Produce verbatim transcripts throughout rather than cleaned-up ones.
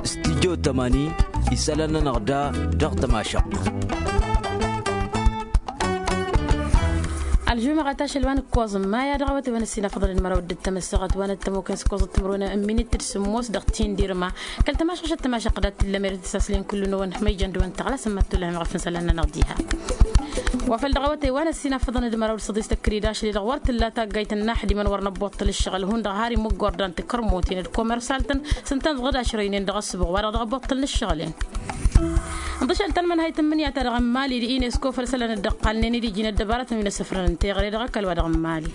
Studyo tămani isălan-nănăɣ da dăɣ-tămašăɣt. Ălžumăɣăt ašăl wa n-ǝkkoẓ n-maya dăɣ-awătay wa n-ăssinafăḍăn d-măraw dd-tămăssăɣăt wa n-ăttămokăn s-ǝkkoẓăt timǝrwen n-minit d-sǝmmos dăɣ-tindirma. Kăl-tămašăɣšăt tămašăɣt dat-t-illa merăt isaslen kullu-năwăn ma ijăn dăwăn tăɣla sămmăt tulăhăm ɣef n-isălan-nănăɣ diha. Wa făl dăɣ-awătay wa n-ăssinafăḍăn d-măraw d-săḍis tăkridăš-li-dăɣ wăr t-tǝlla taggayt n-inaxdimăn wăr năbboṭṭăl ǝššăɣǝl hundăɣ har imǝggordăn tikărmuten d-komersalt-tăn s-ǝntăneḍ-dd ašrăynen dăɣ-ăssǝbuɣ wa-dăɣ dăɣ-ăbboṭṭălăn ǝššăɣǝl-en. Ǝnḍǝšăl ta n-imǝnhayt n-imǝnǝya-ta-dăɣ n-imali d-inesko făll-isălan dd-ăqqalnen-dd iji n-ăddăbarătăn wi n-asǝfrăn n-teɣăre dăɣ-ăkall wa dăɣ-imali.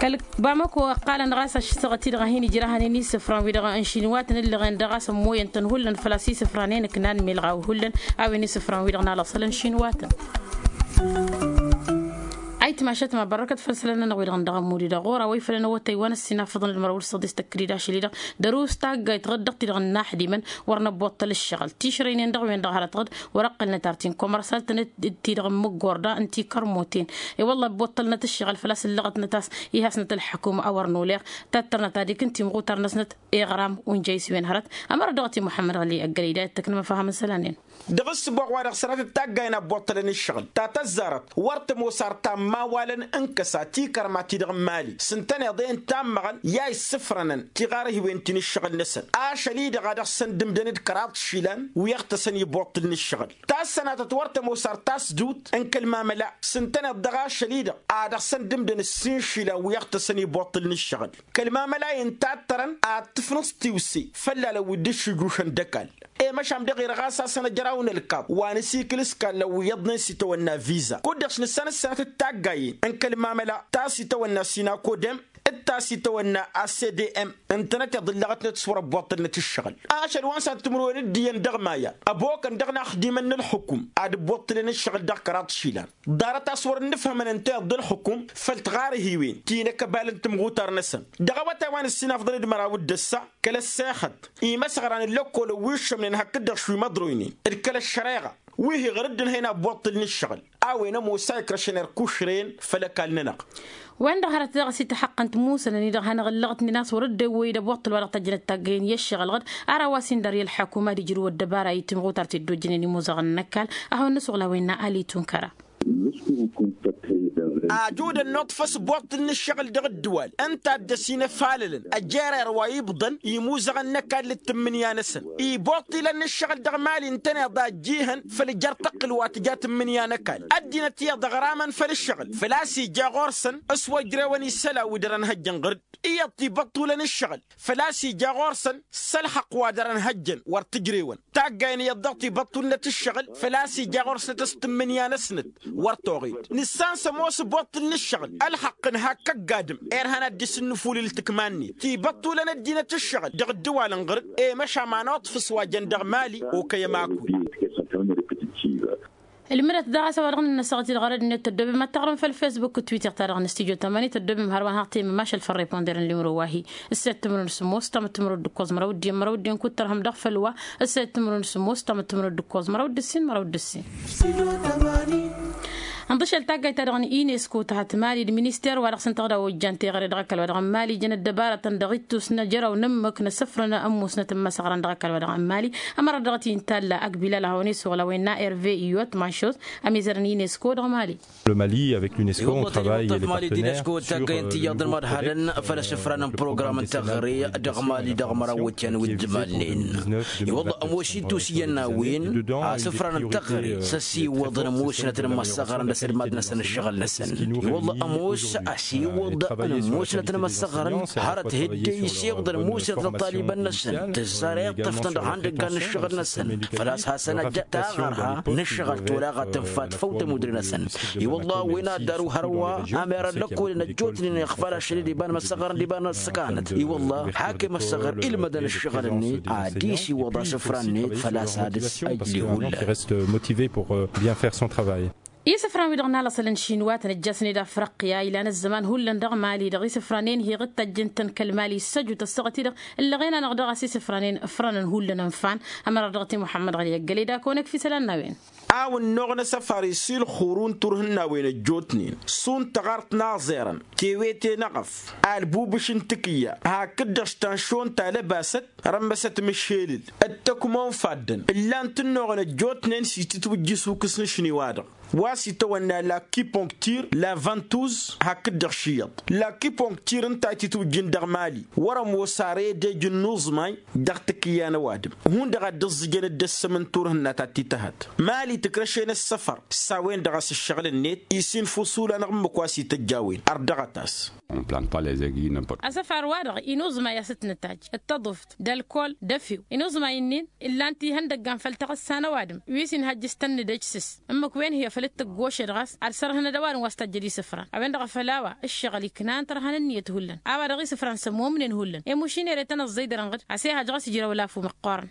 Kăl-bamăko ăqqalăn ɣas ăššăɣăt-i-dăɣ a hin-ijrahăn-in isǝfran-wi-dăɣ n-išinwatăn ǝllăɣen dăɣ-a-s ămmoyăn-tăn hullan făl-a-s isǝfranen ǝknan milɣaw hullan a-wen isǝfran-wi-dăɣ n-alăṣălăn išinwatăn. Ayǝtmašăt ma bărrăkăt făll-isălan-nănăɣ wi-dăɣ n-dăɣ-ămmud-i-dăɣ ɣur-a-wa ifălăn awătay wa n-ăssinafăḍăn d-măraw d-săḍis tăkridăš-li-dăɣ dăr-us taggayt ɣǝd dăɣ-ti-dăɣ n-inaxdimăn wăr năbboṭṭăl ǝššăɣǝl tišrăynen dăɣ-wen-dăɣ hărăt ɣǝd wăr-ăqqălnăt ar ti n-komărsalt-tăn d-ti-dăɣ n-imǝggorda n-tikărmuten. I-wălla ăbboṭṭălnăt ǝššăɣǝl făl-a-s ǝllăɣătnăt a-s ihasnăt ălḥăkum a wăr nolăɣ tattărnăt ad-ikǝn timɣutar-năsnăt iɣram unjăy s-wen hărăt. Ămăra dăɣ-ti muḥămmăd ɣăli ăggălăy da ittăknăm ăfahăm n-isălan-en. Dăɣ-ǝssǝboɣ wa dăɣ-sănatăt taggayen a ăbboṭṭălăn ǝššăɣǝl ta tăzzarăt wăr tămoos ar ta n-imawalăn n-kăsa tikărma-ti-dăɣ n-imali s-ǝntăneḍ-en tammăɣăn i-a issǝfrănăn tiɣarhiwen ti n-ǝššăɣǝl-năsăn ašăl-i-dăɣ a dăɣ-săn dd-ǝmdăn d-kăraḍ išilan wi ăɣtăsăn iboṭṭǝl n-ǝššăɣǝl. Ta s-sănatăt wăr tămoos ar tasdut n-kăl-mamăla s-ǝntăneḍ dăɣ-ašăl-i-dăɣ a dăɣ-săn dd-ǝmdăn ǝssin išilan wi ăɣtăsăn iboṭṭǝl n-ǝššăɣǝl. Kăl-mamăla-i n-tattărăn ad-tǝfnǝẓ tiwse făll-alăn wi dd-ǝššǝjušăn d-ăkall. I-măšan dăɣ-irɣas a-s ănăjraw n-ălkaḍ wa n-asikǝl s-kallăn wi iyyăḍnen s-itawănna viza kud-dăɣ s-nǝssan ǝssanăt d-taggayen n-kăl-mamăla ta s-itawănna sinakodem d-ta s-itawănna a c d m ǝntănăteḍ ǝllăɣătnăt s-wăr-ăbboṭṭălnăt ǝššăɣǝl. Ašăl wa n-sănatăt timǝrwen d-iyyăn dăɣ-maya ăbokăn dăɣ-inaxdimăn n-ălxukum ad-ăbboṭṭălăn ǝššăɣǝl dăɣ-kăraḍ išilan. Ḍarăt a-s wăr-ǝnnǝfhămăn ǝnta iyyăḍ d-ălxukum făll-tiɣarhiwen ti n-akăbal n-timɣutar-năsăn. Dăɣ-awătay wa n-ǝssinafḍăn d-măraw d-ǝssa kăl-ăssexăt imăsɣăran n-lăkkolăn wi ǝššămnen hakd-dăɣ šwi măḍroynen d-kăl-ăššăreɣa wi hi-ɣăr dd-ǝnhăyăn a ăbboṭṭǝl n-ǝššăɣǝl. A-wen ămoos a ikrăšăn erk ušren făll-ăkall-nănăɣ. Wen-dăɣ hărăt dăɣ-s ităxăqqăn timusănăn-i-dăɣ hanăɣ-ǝllăɣătnen a-s wăr dd-ewwăy d-ăbboṭṭǝl wa dăɣ-tăjjănăt taggăyăn i-ăššăɣǝl-ɣăd. Ara wa s-indăr i-ălḥăkum ad-ijrǝw ăddăbara i-timɣutar ti dd-ojjănen imuzăɣăn n-ăkall. Ad-hawăn-nǝsuɣǝl a-wen n-ali tunkăra. Ajudăn n-uṭṭǝf s-boṭṭǝl n-ǝššăɣǝl dăɣ-ǝddǝwal ǝnta a dd-ăsinăfalălăn ăjjerer wa ibḍăn imuzăɣăn n-ăkall d-tǝmmǝnǝya-năsăn. Iboṭṭilăn n-ǝššăɣǝl dăɣ-mali ǝntăneḍ a ăjjihăn făll-jer-tăqqǝl wa tǝja tǝmmǝnǝya n-ăkall ăddinăt iyyăḍ ăɣramăn făll-ǝššăɣǝl făl-a-s ija ɣur-săn s-wăjrewăn isălan wi dăr-ănhăjjăn ɣǝr-dd. Iyyăḍ tibăṭṭulăn ǝššăɣǝl făl-a-s ija ɣur-săn s-ălxăqq wa dăr-ănhăjjăn wăr t-ǝjrewăn. Taggayen iyyăḍ dăɣ-tibăṭṭulnăt ǝššăɣǝl făl-a-s ija ɣur-snăt s-tǝmmǝnǝya-năsnăt wăr toɣed. Nǝssan s-ămoos ǝbboṭṭǝl n-ǝššăɣǝl ălxăqq n-hak ăgg-adǝm irhan ad-dd-isǝnnǝfulǝl tǝkma-net tibăṭṭulăn ăddinăt ǝššăɣǝl dăɣ-ǝddǝwal n-ɣǝr-dd. I-măšan ma n-uṭṭǝf s-wa jăn dăɣ-mali okăy ămakul. Ǝlmǝdăt daɣ a-s a-wa dăɣ-nǝnnăsăɣ-t-dd ɣărăd-net tăddobem ad-taɣrǝm făll-fesbuk d-twitter-ta-dăɣ n-studyo tămani tăddobem hărwa n-haɣ temmămašăl făll-reponder n-limro wa-hi. Ǝsset timǝrwen s-ămoos tamǝttǝmrăw d-ǝkkoẓ măraw d-iyyăn măraw d-ǝkkoẓ măraw d-ǝssin măraw d-ǝssin. Ănḍǝšăl taggayt-ta-dăɣ n-inesko tăhăt mali d-minister wa dăɣ-săn tăɣda ojjan teɣăre dăɣ-ăkall wa dăɣ-n mali jăn ăddăbarătăn dăɣ-ittus n-ajăraw n-ǝmmǝk n-asǝfrăn ămmusnăt n-imăsăɣrăn dăɣ-ăkall wa dăɣ-n mali. Ămăra dăɣ-t-inta ălla ăgbilal a hawăn-isuɣǝl a-wen n-a herve iyot manšos ămizărăn inesko dăɣ-mali. Le mali avec l'unesco on travaille et les partenaires sur le projet. Iwăḍăh tăɣăyăn tiyyăḍ n-imăḍhalăn făll-asǝfran n-program n-teɣăre dăɣ-mali dăɣ-măraw wătyan wi dd-imalnen. Iwăḍăh ămoos ittus iyyăn n-a-wen asǝfran n-teɣăre s-ăsiwăḍăn ămoosnăt n-imăssăɣrăn d-asǝdmad-năsăn ǝššăɣǝl-năsăn. Iwăḍăh ămoos ăsiwăḍăn ămoosnăt n-imăssăɣrăn hărăt hǝdde isiwăḍăn ămoosnăt n-ăṭṭalibăn-năsăn tǝzzar iṭṭăftăn dăɣ-ihăndăggan n-ǝššăɣǝl-năsăn. Făl-a-s hasăn-ăjja taɣărha n-ǝššăɣǝl tolaɣa tǝnfa tǝfăw tămudre-năsăn. I-wălla a-wen ad-daru hărwa ămerăn lăkkolăn ăjjootnen iɣfal ašăl-i d-iba n-imăssăɣrăn d-iba n-ăssăkanăt. I-wălla hak i-imăssăɣr ilmădăn ǝššăɣǝl-net ad-isiwăḍ asǝfra-net făl-a-s ad-ǝsăjli hullan. Qui reste motivé pour bien faire son travail. Isǝfran-wi-dăɣ n-alăṣălăn šinwatăn ăjjasnen d-afrăqqǝya ilan ăzzăman hullan dăɣ-mali-dăɣ isǝfranen hi-iɣǝttajjăn-tăn kăl-mali issăjut ăssaɣăt-i-dăɣ ǝllăɣen-anăɣ dăɣ-a-s isǝfranen ǝfrănăn hullan ǝnfan. Ămăra dăɣ-t i-muḥămmăd ɣăli ăggălăy d-akăwăn-ăkf isălan n-a-wen. A-wa ǝnnuɣ n-asăfar isilxurun turhǝnnawen ăjjootnen šund taɣart n-aẓerăn tewete n-eɣăf, albubǝš n-tikǝyya hakd-dăɣ s-tanšon ta lăbasăt rămmăsăt mǝššelǝl d-tăkmo n-faddăn ǝllan-t ǝnnuɣăn ăjjootnen s-itǝtwǝjj isukǝs n-ašni-wa-dăɣ wa s-itawănna la kiponktir la vantuz hakd-dăɣ šiyăḍ. La kiponktir ǝnta a itǝtwǝjjǝn dăɣ-mali wăr-ămoos ara edej n-inuẓmay dăɣ-tikǝyya n-ăwadǝm hundăɣ a dd-ǝẓẓǝjăn dd-ăssăm n-turhǝnna ta t-tihăt. Mali tǝkrăš-en ăssăfăr s-a-wen-dăɣ a-s ǝššăɣǝl-net isinfusu-lanăɣ ǝmmǝk wa s-ităjj a-wen ărdăɣăt-as. Asăfar-wa-dăɣ inuẓmay a-s t-nǝtajj d-taḍuft d-ălkol d-efew inuẓmay-nin illan-t ihăndăggan făll-taɣǝssa n-ăwadǝm wi s-inhăjj s-tănnǝdăj s-s ǝmmǝk wen hi-afăl t-tǝggošed ɣas ad-sărhǝnăd ăwadǝm wa s-tajjăd isǝfran. A-wen-dăɣ a-făl a-wa ǝššăɣǝl iknan tărha n-ǝnniyăt hullan a-wa dăɣ-isǝfran s-ămomnen hullan emušin ere tăn-ăẓẓăy dăr-inɣǝd a-s ehăj ɣas ijrăw lafu măqqoorăn.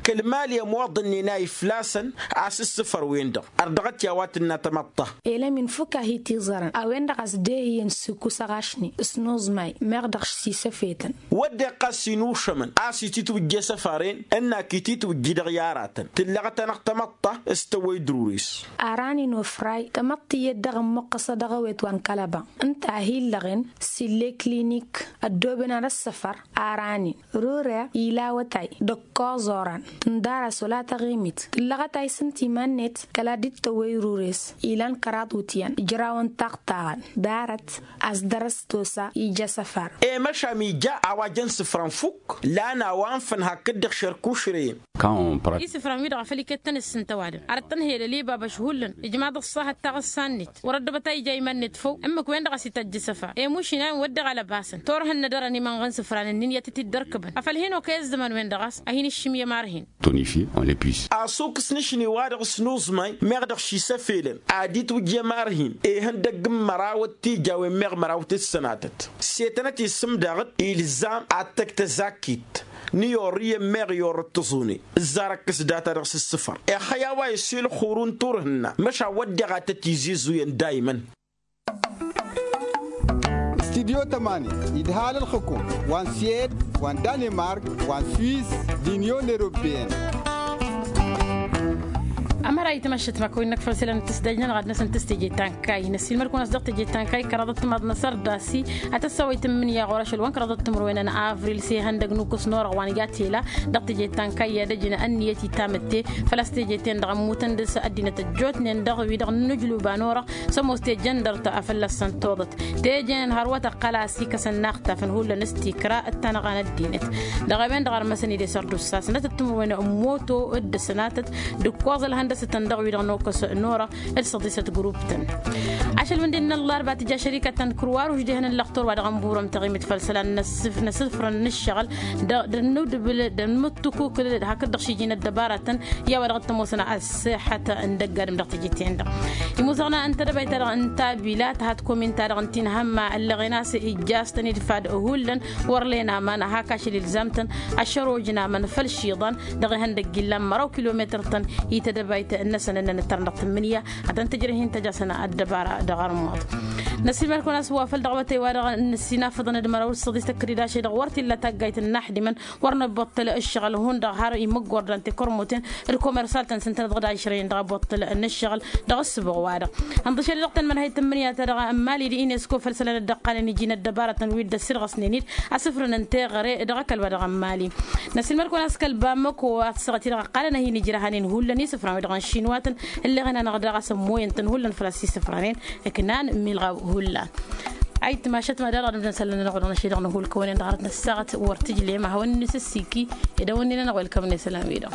Kăl-mali ămoḍănnen a iflasăn a-s ǝssǝfăr-wen-dăɣ ărdăɣăt i-a-wa tǝnna tamăḍt ta. Elăm infuk a hi-tiẓărăn a-wen-dăɣ a-s dehǝyăn s-ikusăɣ ašni s-inuẓmay meɣ dăɣ-s isăfetăn. Wădden ɣas inušămăn a-s ititwǝjje asăfar-en ǝnn'-ak ititwǝjji dăɣ-i aratăn tǝllăɣăt-anăɣ tamăḍt ta s-tăwwăy d-rures. Aranin ofray tamăḍt tiyyăt dăɣ-ămmuqqăsăd dăɣ-ewet wa n-kălăba ǝnta a hi-illăɣen s-ille klinik ăddooben ad-ăssăfăr. Aranin rure ila awătay d-ǝkkoẓ oran tǝndar-as wăla taɣimit tǝllăɣăt a isǝmt iman-net kăla dd-tăwwăy rures ilan kăraḍ wǝtyan ǝjrawăn taɣtaɣăn darăt. A-s dăr-s tosa ija asăfar. E măšan ija a-wa jăn sǝfrăn fukk lan a-wa ǝnfăn hakd-dăɣ šerkušrăyăn. Isǝfran-wi-dăɣ a făl ikettăn ǝssǝnt ăwadǝm ar ăttănhăyăd ălibabăš hullan ijmaḍ ăṣṣahăt taɣǝssa-net wăr-ăddăbăt a ija iman-net făw ǝmmǝk-wen-dăɣ a-s ităjj asăfar emušin a-wen wădden alăbasăn turhǝnnăd ărăn imănɣăn sǝfran-ǝnnin i-ad-tǝt-dd-ărkǝbăn afăl hin-okăy ăzzăman-wen-dăɣ a-s a hin-ǝššǝm i-ămarhin. Tonifier on le plus. Asukǝs n-ašni-wa-dăɣ s-inuẓmay meɣ dăɣ-s isăfelăn ad-itwǝjj i-ămarhin ihăndăgg n-măraw d-tijawen meɣ măraw tǝssănatăt s-e tănăt-isǝm daɣ-dd ilzam ad-tăgg tăzakkit n-iyorrǝyăn meɣ iyorrăt tăẓune ǝzzarăkkăs data-dăɣ s-ǝssǝfăr. Ixăy a-wa isilxurun turhǝnna măšan wădden a tăt-izizuyăn dayman. Studyo tămani idhal ǝlxǝkum wa n-siyed wa n-danemark wa n-swiss d-inyon europeyăn. Ămăra itmăššăt ma kăwăy-năk făll-isălan n-tǝsdăj-nănăɣ ad-năsăn tǝstǝje ta n-kayy năssiilmăd-kăwăn a-s dăɣ-tǝje ta n-kayy kăraḍăt timaḍ n-asărdasi ad-tăssawăy tǝmmǝnǝya ɣur-ašăl wa n-kăraḍăt timǝrwen n-avril s-ihăndăg n-ukǝs n-orăɣ wa n-gatela. Dăɣ-tǝje ta n-kayy i-ad-ăjǝn ănniyăt itamǝtte făl-a-s teje-ten-dăɣ ămmutăn dăr-s ăddinăt ăjjootnen dăɣ-wi-dăɣ n-inǝjluba n-orăɣ s-ămoos tejăndărt a fălla-săn toḍăt. Teje-năn hărwăt ăqqăl a-s ikăsăn inaxtafăn hullan s-tikra d-tanăɣa n-ăddinăt. Dăɣ-a-wen-dăɣ ărmăsăn-dd i-sărdusa sănatăt timǝrwen n-moto d-ăsănatăt d-ǝkkoẓ ălhăndăsătăn dăɣ-wi-dăɣ n-okăs n-orăɣ d-săḍisăt grup-tăn. Ašăl wǝndin n-ăllarba tǝja šărikăt ta n-kǝrwa ruš dehăn ǝllăɣ torwa dăɣ-ănburăm taɣimit făll-isălan n-asǝfrăn n-ǝššăɣǝl d-ănnudǝbǝl d-ănmǝttukukǝl hakd-dăɣ šiji n-ăddăbaratăn i-a-wa dăɣ-t-ămoosăn ăṣṣeḥăt n-dăgg-adǝm dăɣ-tijit-en-dăɣ. Imuzăɣna n-tedăbayt-ta-dăɣ n-tabilat had-komin-ta-dăɣ n-tinhămma ăllăɣen a-s ijjastăn idfad hullan wăr len aman hak ašăl ilzam-tăn ăššăroj n-aman făll-išiḍan dăɣ-ihăndăgg illan măraw kilometăr-tăn. I-tedăbayt-năsăn ǝnnăn ǝttărăn dăɣ-tǝmmǝnǝya ad-tăn-tǝjrăh hin-tăj'-asăn ăddăbara dăɣ-armuḍ. Năsiilmăd-kăwăn a-s wa făl dăɣ-awătay-wa-dăɣ n-ăssinafăḍăn d-măraw d-săḍis tăkridaše-dăɣ wăr t-illa taggayt n-inaxdimăn wăr năbbuṭṭăl ǝššăɣǝl hundăɣ har imǝggor dăɣ-tăkărmuten d-komersal-tăn s-ǝntănăt dăɣ-dašrăyăn dăɣ-abuṭṭăl n-ǝššăɣǝl. Dăɣ-ǝssǝboɣ-wa-dăɣ ănḍǝšăl dăɣ-tăn mănhăy tǝmmǝnǝya-ta-dăɣ n-mali d-inesko făll-isălan dd-ăqqalăn iji n-ăddăbaratăn wi dd-ăssirɣăsnen-dd asǝfrǝn n-teɣăre dăɣ-ăkall wa dăɣ-n mali. Năsiilmăd-kăwăn a-s kăl-bamăko a tǝssaɣăt-i-dăɣ ăqqalăn a hin-ijrăhăn-in hullan isǝfran-wi-dăɣ n-išinwatăn ǝlleɣen-anăɣ daɣ a-s ămmoyăn-tăn hullan făl-a-s isǝfranen ǝknan milɣaw hullan. Ayǝtmašăt ma daɣ dăɣ-nǝbdăn isălan-nănăɣ wa dăɣ-năšăy dăɣ-nǝhul kăwănen dăɣ-arăt năssaɣăt wăr tǝjlem a hawăn-nǝsǝssiki. Ed a-wen-nin-anăɣ welcăm n-isălan-wi-dăɣ.